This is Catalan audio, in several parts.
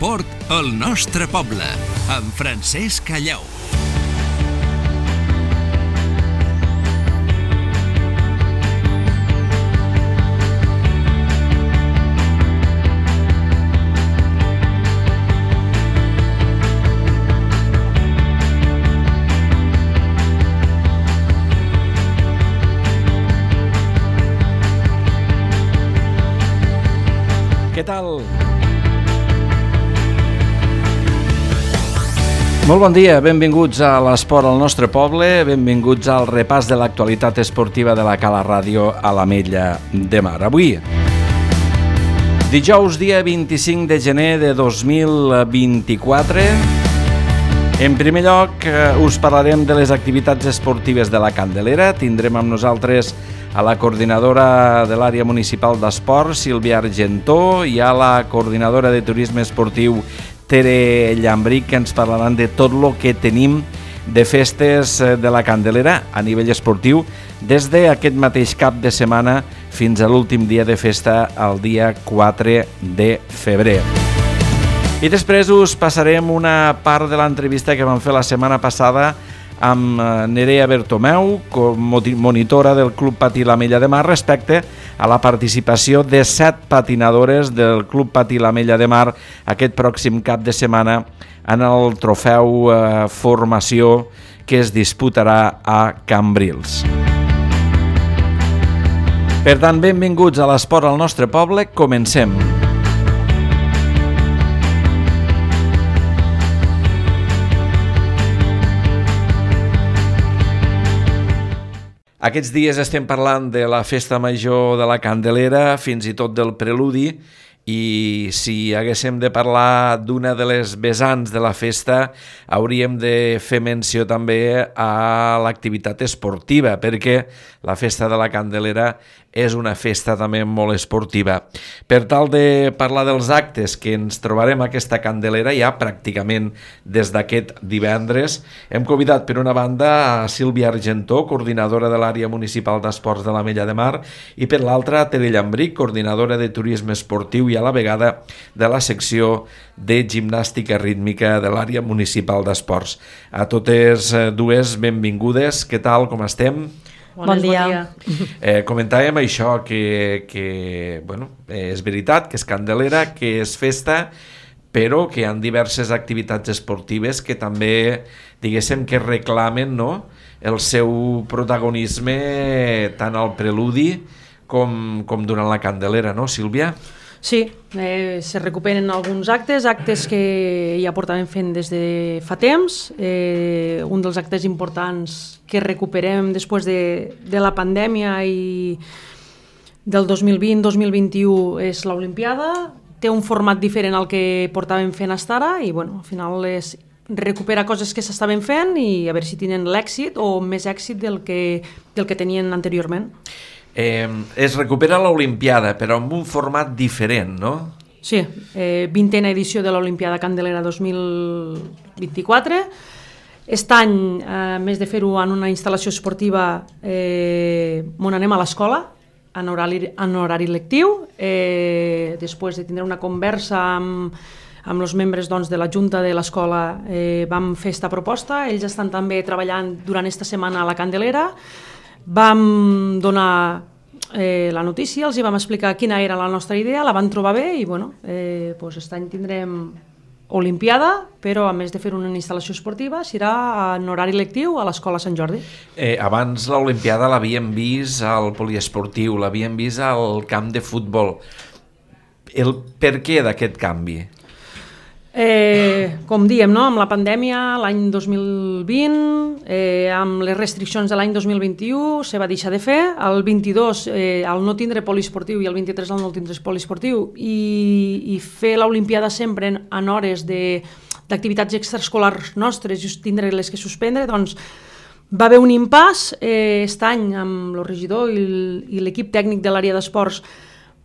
L'esport al nostre poble, amb Francesc Callau. Què tal? Molt bon dia, benvinguts a l'Esport al nostre poble, benvinguts al repàs de l'actualitat esportiva de la Cala Ràdio a l'Ametlla de Mar. Avui, dijous dia 25 de gener de 2024, en primer lloc us parlarem de les activitats esportives de la Candelera. Tindrem amb nosaltres a la coordinadora de l'àrea municipal d'esport, Sílvia Argentó, i a la coordinadora de turisme esportiu, Tere Llambric, que ens parlaran de tot el que tenim de festes de la Candelera a nivell esportiu des d'aquest mateix cap de setmana fins a l'últim dia de festa, el dia 4 de febrer. I després us passarem una part de l'entrevista que vam fer la setmana passada amb Nerea Bertomeu, monitora del Club Patí l'Ametlla de Mar, respecte a la participació de 7 patinadores del Club Patí l'Ametlla de Mar aquest pròxim cap de setmana en el trofeu formació que es disputarà a Cambrils. Per tant, benvinguts a l'Esport al nostre poble. Comencem. Aquests dies estem parlant de la festa major de la Candelera, fins i tot del preludi, i si haguéssim de parlar d'una de les vessants de la festa, hauríem de fer menció també a l'activitat esportiva, perquè la festa de la Candelera és una festa també molt esportiva. Per tal de parlar dels actes que ens trobarem a aquesta Candelera ja pràcticament des d'aquest divendres, hem convidat per una banda a Sílvia Argentó, coordinadora de l'àrea municipal d'esports de l'Ametlla de Mar, i per l'altra a Tere Llambric, coordinadora de turisme esportiu i a la vegada de la secció de gimnàstica rítmica de l'àrea municipal d'esports. A totes dues, benvingudes. Què tal, com estem? Bon dia. Comentàvem això, que és veritat, que és Candelera, que és festa, però que hi ha diverses activitats esportives que també, diguéssim, que reclamen, no?, el seu protagonisme tant al preludi com durant la Candelera, no, Sílvia? Sí, se recuperen alguns actes que ja portàvem fent des de fa temps. Un dels actes importants que recuperem després de la pandèmia i del 2020-2021 és l'Olimpiada. Té un format diferent al que portàvem fent fins ara i al final és recuperar coses que s'estaven fent i a veure si tenen l'èxit o més èxit del que tenien anteriorment. Es recupera l'Olimpiada, però amb un format diferent, no? Sí, 20a edició de l'Olimpiada Candelera 2024. Aquest any, a més de fer-ho en una instal·lació esportiva, on anem a l'escola, en horari lectiu, després de tindre una conversa amb els membres de la Junta de l'escola, vam fer aquesta proposta. Ells estan també treballant durant aquesta setmana a la Candelera. Vam donar la notícia, els vam explicar quina era la nostra idea, la van trobar bé i aquest any tindrem Olimpiada, però a més de fer una instal·lació esportiva serà en horari lectiu a l'Escola Sant Jordi. Abans l'Olimpiada l'havíem vist al poliesportiu, l'havíem vist al camp de futbol. El per què d'aquest canvi? Com diem, no? Amb la pandèmia l'any 2020, amb les restriccions de l'any 2021 se va deixar de fer, el 22 al no tindre poliesportiu i el 23 al no tindre poliesportiu i fer l'Olimpiada sempre en hores d'activitats extraescolars nostres i tindre les que suspendre, doncs va haver un impàs. Aquest any amb el regidor i l'equip tècnic de l'àrea d'esports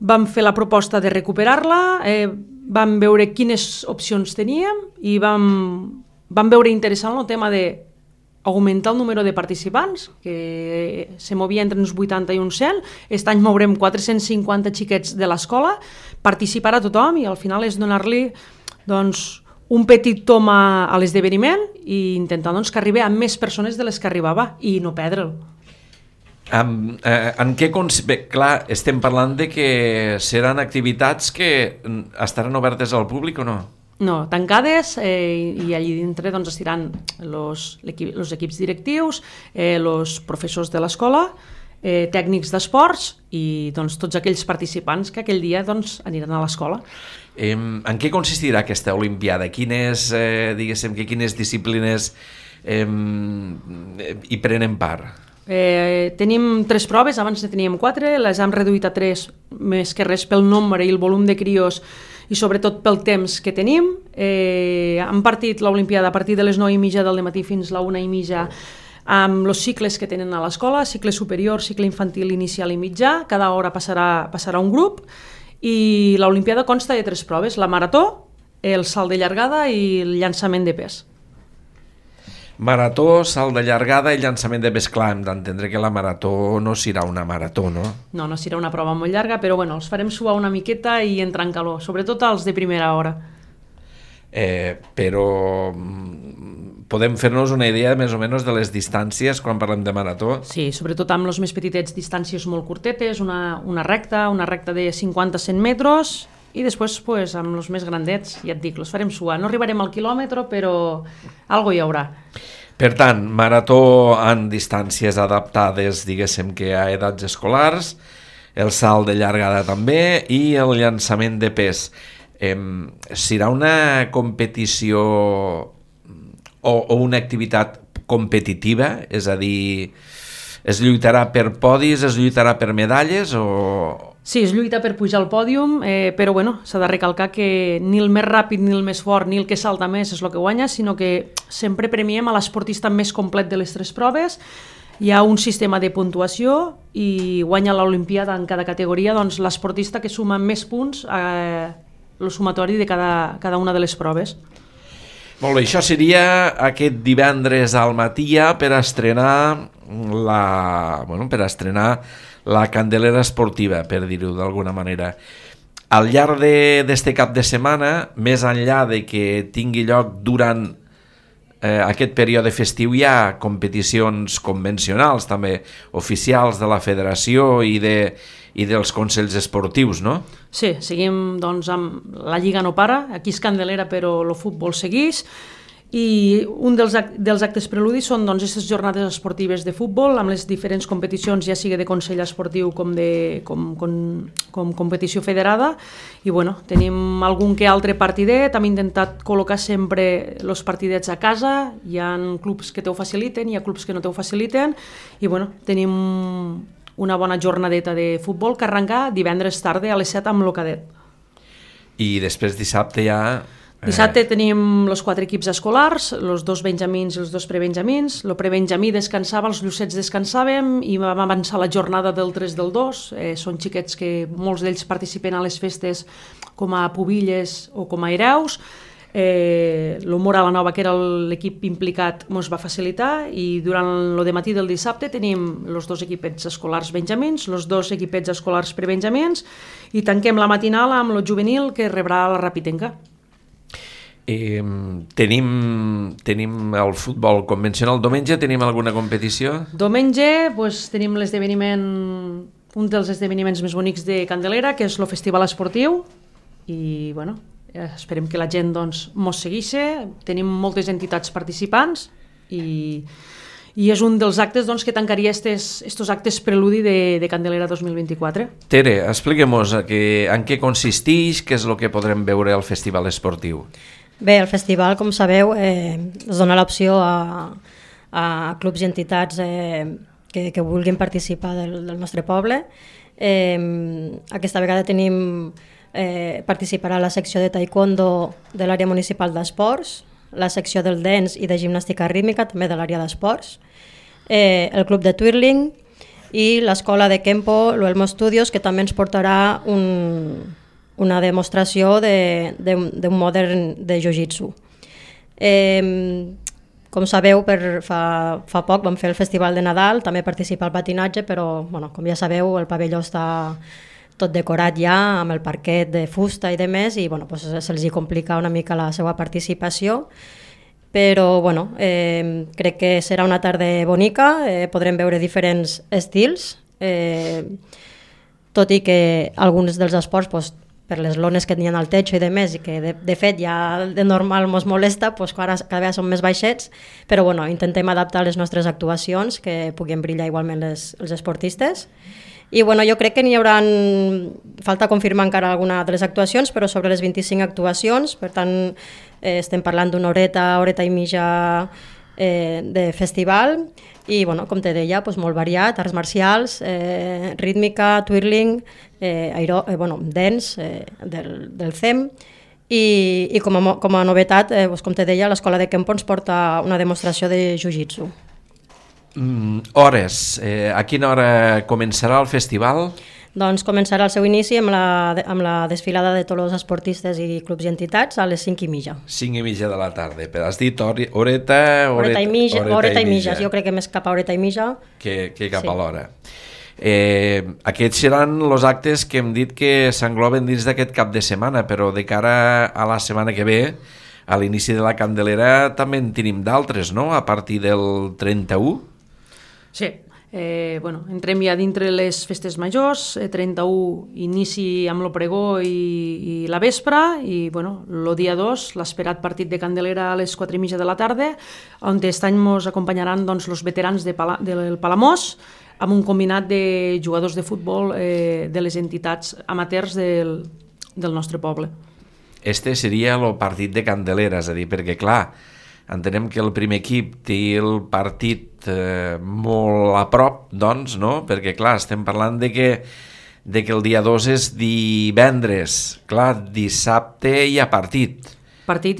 vam fer la proposta de recuperar-la, vam veure quines opcions teníem i vam veure interessant el tema d'augmentar el número de participants, que se movia entre uns 80 i uns 100. Aquest any mourem 450 xiquets de l'escola, participarà tothom i al final és donar-li doncs, un petit tom a l'esdeveniment i intentar doncs, que arribi a més persones de les que arribava i no perdre'l. En què bé, clar, estem parlant de que seran activitats que estaran obertes al públic o no? No, tancades i allí dintre doncs, estiran els equips directius, els professors de l'escola, tècnics d'esports i doncs, tots aquells participants que aquell dia doncs, aniran a l'escola. En què consistirà aquesta Olimpiada? Quines disciplines hi prenen part? Tenim 3 proves, abans ne teníem 4, les hem reduït a 3, més que res pel nombre i el volum de crios i sobretot pel temps que tenim. Hem partit l'Olimpiada a partir de les 9:30 del matí fins a la 1:30 amb els cicles que tenen a l'escola, cicle superior, cicle infantil, inicial i mitjà. Cada hora passarà un grup i l'Olimpiada consta de 3 proves, la marató, el salt de llargada i el llançament de pes. Marató, salt de llargada i llançament de pes. Clar, hem d'entendre que la marató no serà una marató, no? No serà una prova molt llarga, però bueno, els farem suar una miqueta i entrar en calor, sobretot els de primera hora. Però podem fer-nos una idea més o menys de les distàncies quan parlem de marató? Sí, sobretot amb els més petitets, distàncies molt curtetes, una recta de 50-100 metres i després pues, amb els més grandets, ja et dic, els farem suar. No arribarem al quilòmetre, però algo hi haurà. Per tant, marató en distàncies adaptades, diguéssim que a edats escolars, el salt de llargada també i el llançament de pes. Serà una competició o una activitat competitiva? És a dir, es lluitarà per podis, es lluitarà per medalles o... Sí, es lluita per pujar al pòdium, però bueno, s'ha de recalcar que ni el més ràpid, ni el més fort, ni el que salta més és el que guanya, sinó que sempre premiem a l'esportista més complet de les 3 proves. Hi ha un sistema de puntuació i guanya l'Olimpiada en cada categoria doncs, l'esportista que suma més punts el sumatori de cada una de les proves. Molt bé, això seria aquest divendres al matí per estrenar la Candelera esportiva, per dir-ho d'alguna manera. Al llarg d'este cap de setmana, més enllà de que tingui lloc durant aquest període festiu, hi ha competicions convencionals, també oficials de la federació i dels consells esportius, no? Sí, seguim doncs, amb la Lliga no para, aquí és Candelera però el futbol segueix, i un dels actes preludis són doncs, aquestes jornades esportives de futbol amb les diferents competicions, ja sigui de consell esportiu com competició federada, i bueno, tenim algun que altre partidet. Hem intentat col·locar sempre els partidets a casa, hi ha clubs que t'ho faciliten, hi ha clubs que no t'ho faciliten, i bueno, tenim una bona jornadeta de futbol que arrenca divendres tarda a les 7 amb el cadet. I després dissabte ja... Dissabte tenim els 4 equips escolars, els 2 benjamins i els 2 prebenjamins. El prebenjamí descansava, els llucets descansàvem i vam avançar la jornada del 3 del 2. Són xiquets que molts d'ells participen a les festes com a pubilles o com a hereus. L'Humor a la Nova, que era l'equip implicat, ens va facilitar, i durant el dematí del dissabte tenim els 2 equipets escolars benjamins, els 2 equipets escolars prebenjamins, i tanquem la matinal amb el juvenil que rebrà la Rapitenca. Tenim el futbol convencional. Diumenge tenim alguna competició? Diumenge tenim l'esdeveniment, un dels esdeveniments més bonics de Candelera, que és el festival esportiu, i bueno, esperem que la gent mos segueixi. Tenim moltes entitats participants i és un dels actes que tancaria estos actes preludi de Candelera 2024. Tere, expliquem-nos en què consisteix, què és el que podrem veure al festival esportiu. Bé, el festival, com sabeu, es dona l'opció a clubs i entitats que vulguin participar del nostre poble. Aquesta vegada participarà la secció de taekwondo de l'àrea municipal d'esports, la secció del dance i de gimnàstica rítmica, també de l'àrea d'esports, el club de twirling i l'escola de Kempo, l'Elmo Studios, que també ens portarà una demostració d'un modern de jiu-jitsu. Com sabeu, fa poc vam fer el Festival de Nadal, també participar al patinatge, però com ja sabeu el pavelló està tot decorat ja, amb el parquet de fusta i de més, i bueno, pues, se'ls hi complica una mica la seva participació, però bueno, crec que serà una tarda bonica, podrem veure diferents estils, tot i que alguns dels esports, pues, per les lones que tenien al techo i de més, i que de fet ja de normal ens molesta, pues, ara cada vegada són més baixets, però bueno, intentem adaptar les nostres actuacions, que puguin brillar igualment els esportistes. I bueno, jo crec que n'hi haurà, falta confirmar encara alguna de les actuacions, però sobre les 25 actuacions, per tant estem parlant d'una horeta i mitja de festival, i bueno, com te deia, doncs molt variat, arts marcials, rítmica, twirling, dance del CEM, i com a novetat, com te deia, l'escola de Kempo ens porta una demostració de jiu-jitsu. Hores. A quina hora començarà el festival? Doncs començarà el seu inici amb la desfilada de tots els esportistes i clubs i entitats a les 5:30. 5:30 de la tarda. Però has dit horeta i mitja. Jo crec que més cap a horeta i mitja. Que cap a l'hora. Aquests seran els actes que hem dit que s'engloben dins d'aquest cap de setmana, però de cara a la setmana que ve, a l'inici de la Candelera, també en tenim d'altres, no?, a partir del 31? Sí. Entrem ja dintre les festes majors, 31 inici amb el pregó i la vespra, i el dia 2 l'esperat partit de Candelera a les 4:30 de la tarda, on aquest any ens acompanyaran els veterans del Palamós, amb un combinat de jugadors de futbol de les entitats amateurs del nostre poble. Este seria el partit de Candelera, és a dir, perquè clar, entenem que el primer equip té el partit molt a prop, doncs, no? Perquè, clar, estem parlant de que el dia 2 és divendres. Clar, dissabte hi ha partit. Partit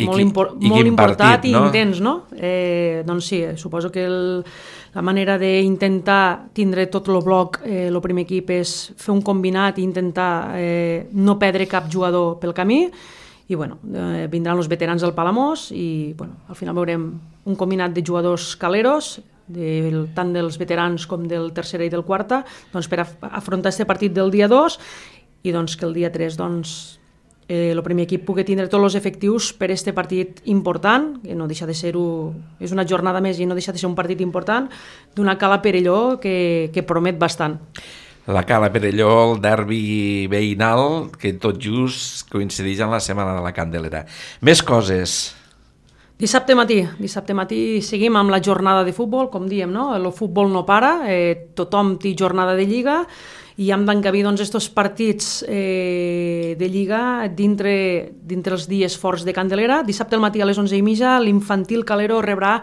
molt important i intens, no? Doncs sí, suposo que la manera d'intentar tindre tot el bloc, el primer equip, és fer un combinat i intentar no perdre cap jugador pel camí. I vindran els veterans del Palamós i al final veurem un combinat de jugadors caleros, tant dels veterans com del tercera i del quarta, per afrontar aquest partit del dia 2 i que el dia 3 el primer equip pugui tindre tots els efectius per aquest partit important, que no deixa de ser-ho, és una jornada més i no deixa de ser un partit important, d'una Cala Perelló que promet bastant. La Cala Perelló, el derbi veïnal, que tot just coincideix en la setmana de la Candelera. Més coses. Dissabte matí seguim amb la jornada de futbol, com diem, no? El futbol no para, tothom té jornada de lliga i hem d'encabir aquests partits de lliga dintre els dies forts de Candelera. Dissabte al matí a les 11:30 l'infantil Calero rebrà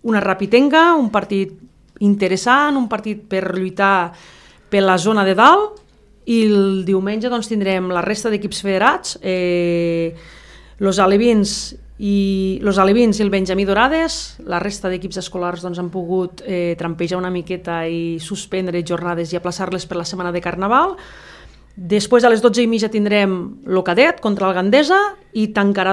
una Rapitenca, un partit interessant, un partit per lluitar per la zona de dalt, i el diumenge tindrem la resta d'equips federats, los alevins i el Benjamí Dorades. La resta d'equips escolars han pogut trampejar una miqueta i suspendre jornades i aplaçar-les per la setmana de Carnaval. Després a les 12:30 tindrem el cadet contra el Gandesa i tancarà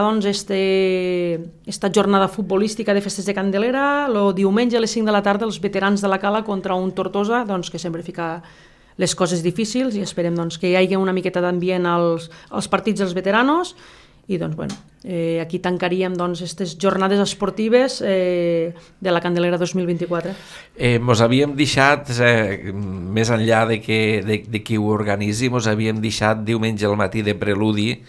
esta jornada futbolística de festes de Candelera el diumenge a les 5 de la tarda els veterans de la Cala contra un Tortosa, que sempre fica les coses difícils, i esperem que hi hagi una miqueta d'ambient als partits dels veteranos. I aquí tancaríem aquestes jornades esportives de la Candelera 2024. Mos havíem deixat, més enllà de qui ho organitzi, mos havíem deixat diumenge al matí de preludi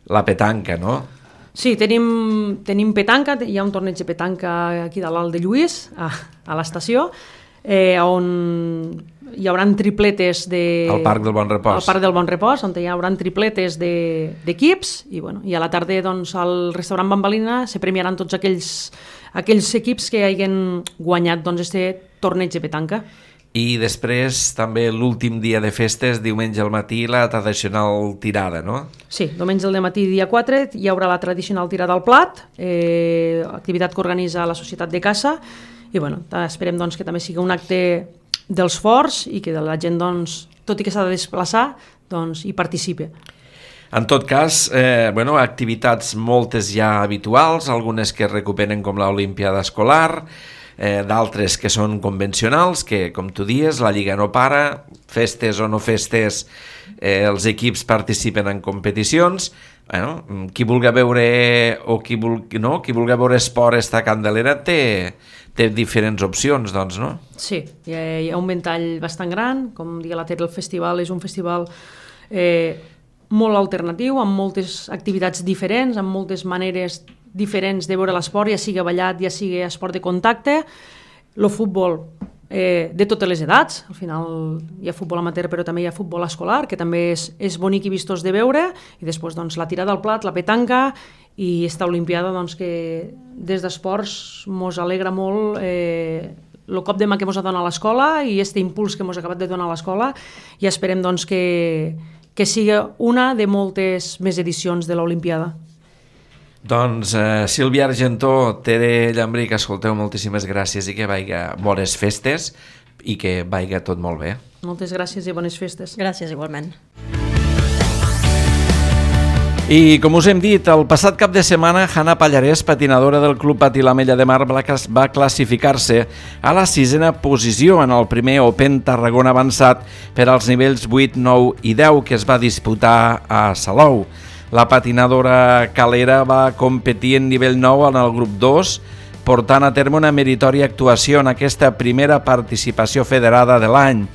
la petanca, no? Sí, tenim petanca, hi ha un torneig de petanca aquí de l'Alt de Lluís, a l'estació, on hi haurà tripletes al Parc del Bon Repòs. Al Parc del Bon Repòs, on hi haurà tripletes d'equips, i a la tarda al restaurant Bambalina se premiaran tots aquells equips que hagin guanyat aquest torneig de petanca. I després també l'últim dia de festes, diumenge al matí, la tradicional tirada, no? Sí, diumenge al matí, dia 4, hi haurà la tradicional tirada al plat, activitat que organitza la Societat de Caça, i esperem que també sigui un acte dels forts i que la gent, tot i que s'ha de desplaçar, hi participi. En tot cas, activitats moltes ja habituals, algunes que es recuperen com l'Olimpiada Escolar, d'altres que són convencionals, que, com tu dies, la Lliga no para, festes o no festes, els equips participen en competicions. Bueno, qui vulgui veure o qui vulgui veure esport esta Candelera té diferents opcions, doncs, no? Sí, hi ha un ventall bastant gran, com deia la Tere, el festival és un festival molt alternatiu, amb moltes activitats diferents, amb moltes maneres diferents de veure l'esport, ja sigui ballat, ja sigui esport de contacte, el futbol de totes les edats, al final hi ha futbol amateur però també hi ha futbol escolar, que també és bonic i vistós de veure, i després doncs, la tirada al plat, la petanca, i esta Olimpiada doncs, que des d'esports mos alegra molt el cop de mà que mos ha donat l'escola i aquest impuls que mos ha acabat de donar l'escola, i esperem doncs, que sigui una de moltes més edicions de l'Olimpiada. Doncs Sílvia Argentó, Tere Llambric, escolteu, moltíssimes gràcies i que vaiga bones festes i que vaiga tot molt bé. Moltes gràcies i bones festes. Gràcies, igualment. I com us hem dit, el passat cap de setmana, Hanna Pallarès, patinadora del Club Patí l'Ametlla de Mar, va classificar-se a la 6a posició en el primer Open Tarragona avançat per als nivells 8, 9 i 10 que es va disputar a Salou. La patinadora calera va competir en nivell 9 en el grup 2, portant a terme una meritòria actuació en aquesta primera participació federada de l'any.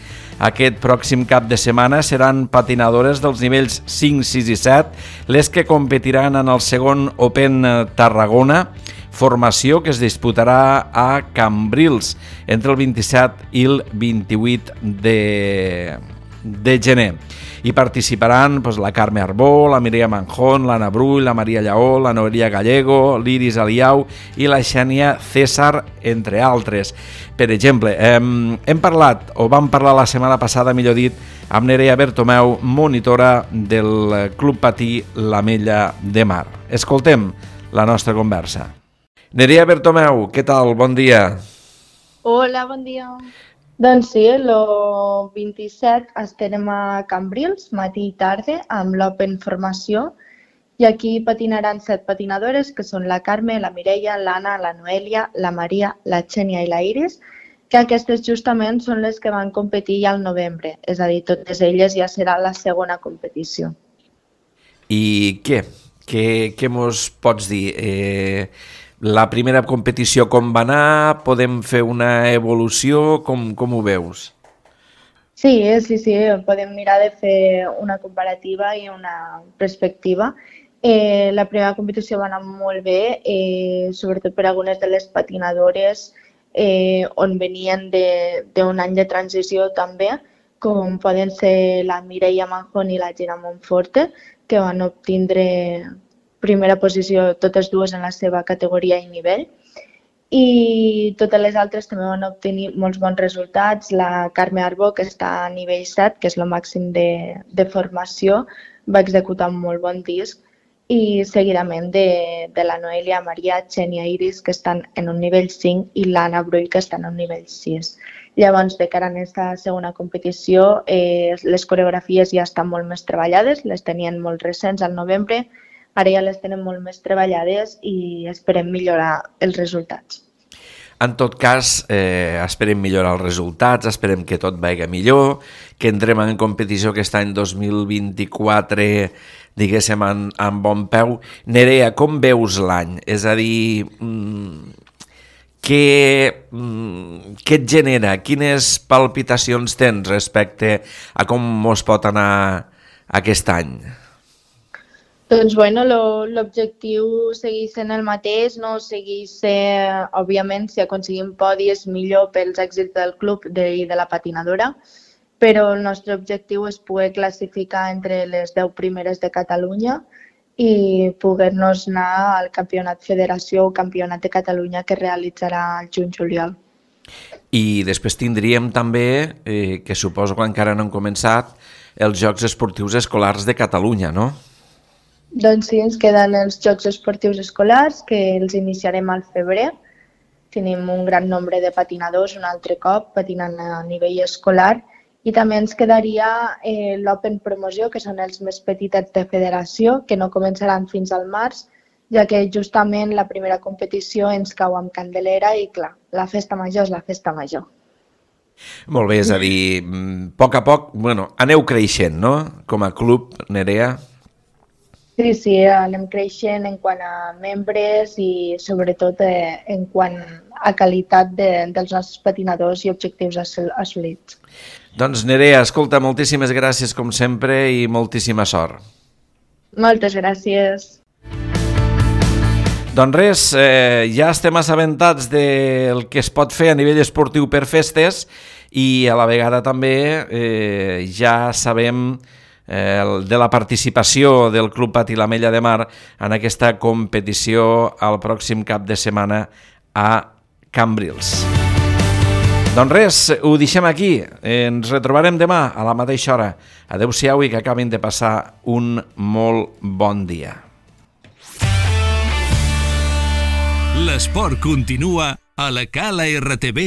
Aquest pròxim cap de setmana seran patinadores dels nivells 5, 6 i 7 les que competiran en el segon Open Tarragona, formació que es disputarà a Cambrils entre el 27 i el 28 de gener. Hi participaran la Carme Arbó, la Mireia Manjón, l'Anna Brull, la Maria Lleó, la Noelia Gallego, l'Iris Aliau i la Xènia César, entre altres. Per exemple, vam parlar la setmana passada, millor dit, amb Nerea Bertomeu, monitora del Club Patí l'Ametlla de Mar. Escoltem la nostra conversa. Nerea Bertomeu, què tal? Bon dia. Hola, bon dia. Doncs sí, el 27 estarem a Cambrils, matí i tarda, amb l'Open Formació, i aquí patinaran 7 patinadores, que són la Carme, la Mireia, l'Anna, la Noelia, la Maria, la Xènia i la Iris, que aquestes justament són les que van competir ja al novembre, és a dir, totes elles ja serà la segona competició. I què? Què mos pots dir? La primera competició com va anar? Podem fer una evolució? Com ho veus? Sí, podem mirar de fer una comparativa i una perspectiva. La primera competició va anar molt bé, sobretot per algunes de les patinadores on venien d'un any de transició també, com poden ser la Mireia Manjón i la Gina Monforte, que van obtindre primera posició totes dues en la seva categoria i nivell. I totes les altres també van obtenir molts bons resultats. La Carme Arbó, que està a nivell 7, que és el màxim de formació, va executar un molt bon disc, i seguidament de la Noelia, Maria, Xènia i Iris, que estan en un nivell 5, i l'Anna Brull, que està en un nivell 6. Llavors, de cara a aquesta segona competició, les coreografies ja estan molt més treballades, les tenien molt recents al novembre, ara ja les tenen molt més treballades i esperem millorar els resultats. En tot cas, esperem millorar els resultats, esperem que tot vagi millor, que entrem en competició aquest any 2024, diguéssim, en bon peu. Nerea, com veus l'any? És a dir, què et genera? Quines palpitacions tens respecte a com mos pot anar aquest any? Doncs l'objectiu segueix sent el mateix, no segueix ser, òbviament, si aconseguim podis millor pels èxits del club i de la patinadora, però el nostre objectiu és poder classificar entre les 10 primeres de Catalunya i poder-nos anar al Campionat Federació o Campionat de Catalunya que realitzarà el juny-juliol. I després tindríem també, que suposo que encara no han començat, els Jocs Esportius Escolars de Catalunya, no? Doncs sí, ens queden els Jocs Esportius Escolars, que els iniciarem al febrer. Tenim un gran nombre de patinadors, un altre cop, patinant a nivell escolar. I també ens quedaria l'Open Promoció, que són els més petitets de federació, que no començaran fins al març, ja que justament la primera competició ens cau amb Candelera i, clar, la festa major és la festa major. Molt bé, és a dir, a poc, aneu creixent, no?, com a club, Nerea. Sí, anem creixent en quant a membres i sobretot en quant a qualitat dels nostres patinadors i objectius assolits. Doncs Nerea, escolta, moltíssimes gràcies com sempre i moltíssima sort. Moltes gràcies. Doncs res, ja estem assabentats del que es pot fer a nivell esportiu per festes i a la vegada també ja sabem de la participació del Club Patí l'Ametlla de Mar en aquesta competició el pròxim cap de setmana a Cambrils. Doncs res, ho deixem aquí. Ens retrobarem demà a la mateixa hora. Adéu-siau i que acabin de passar un molt bon dia. L'esport continua a la calartv.cat.